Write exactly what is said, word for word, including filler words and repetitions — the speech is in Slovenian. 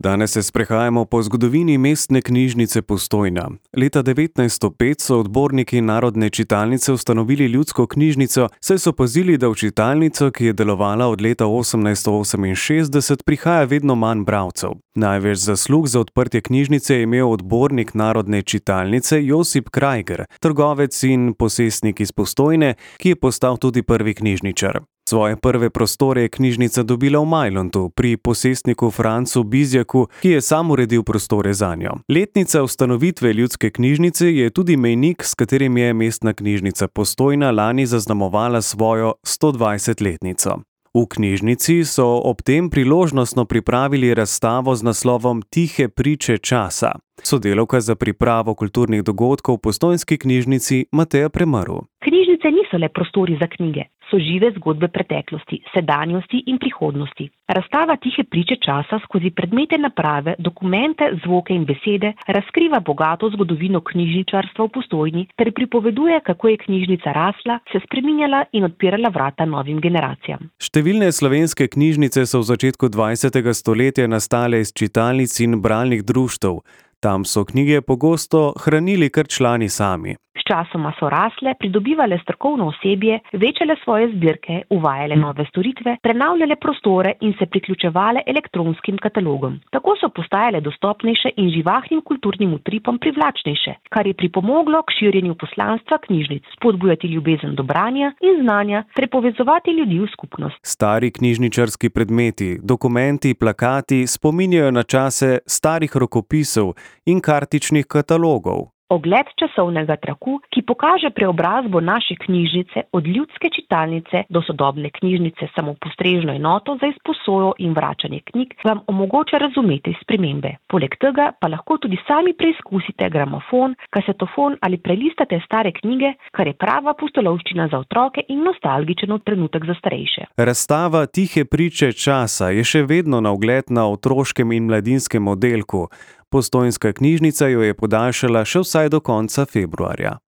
Danes se sprehajamo po zgodovini mestne knjižnice Postojna. Leta devetnajststo pet so odborniki Narodne čitalnice ustanovili ljudsko knjižnico, saj so opazili, da v čitalnico, ki je delovala od leta osemnajststo oseminšestdeset, prihaja vedno manj bralcev. Največ zaslug za odprtje knjižnice je imel odbornik Narodne čitalnice Josip Krajger, trgovec in posestnik iz Postojne, ki je postal tudi prvi knjižničar. Svoje prve prostore je knjižnica dobila v Majlontu pri posestniku Francu Bizjaku, ki je sam uredil prostore zanjo. Letnica ustanovitve ljudske knjižnice je tudi mejnik, s katerim je mestna knjižnica Postojna lani zaznamovala svojo stodvajsetletnico. V knjižnici so ob tem priložnostno pripravili razstavo z naslovom Tihe priče časa. Sodelavka za pripravo kulturnih dogodkov v postojnski knjižnici Mateja Premrl. Knjižnice niso le prostori za knjige, so žive zgodbe preteklosti, sedanjosti in prihodnosti. Razstava Tihe priče časa skozi predmete, naprave, dokumente, zvoke in besede razkriva bogato zgodovino knjižničarstva v Postojni ter pripoveduje, kako je knjižnica rasla, se spreminjala in odpirala vrata novim generacijam. Številne slovenske knjižnice so v začetku dvajsetega stoletja nastale iz čitalnic in bralnih društev. Tam so knjige pogosto hranili kar člani sami. Sčasoma so rasle, pridobivale strokovno osebje, večale svoje zbirke, uvajale nove storitve, prenavljale prostore in se priključevale elektronskim katalogom. Tako so postajale dostopnejše in živahnim kulturnim utripom privlačnejše, kar je pripomoglo k širjenju poslanstva knjižnic, spodbujati ljubezen do branja in znanja ter povezovati ljudi v skupnost. Stari knjižničarski predmeti, dokumenti, plakati spominjajo na čase starih rokopisov in kartičnih katalogov. Ogled časovnega traku, ki pokaže preobrazbo naše knjižnice od ljudske čitalnice do sodobne knjižnice samopostrežno enoto za izposojo in vračanje knjig, vam omogoča razumeti spremembe. Poleg tega pa lahko tudi sami preizkusite gramofon, kasetofon ali prelistate stare knjige, kar je prava pustolovščina za otroke in nostalgičen trenutek za starejše. Razstava Tihe priče časa je še vedno na ogled na otroškem in mladinskem oddelku. Postojnska knjižnica jo je podaljšala še vsaj do konca februarja.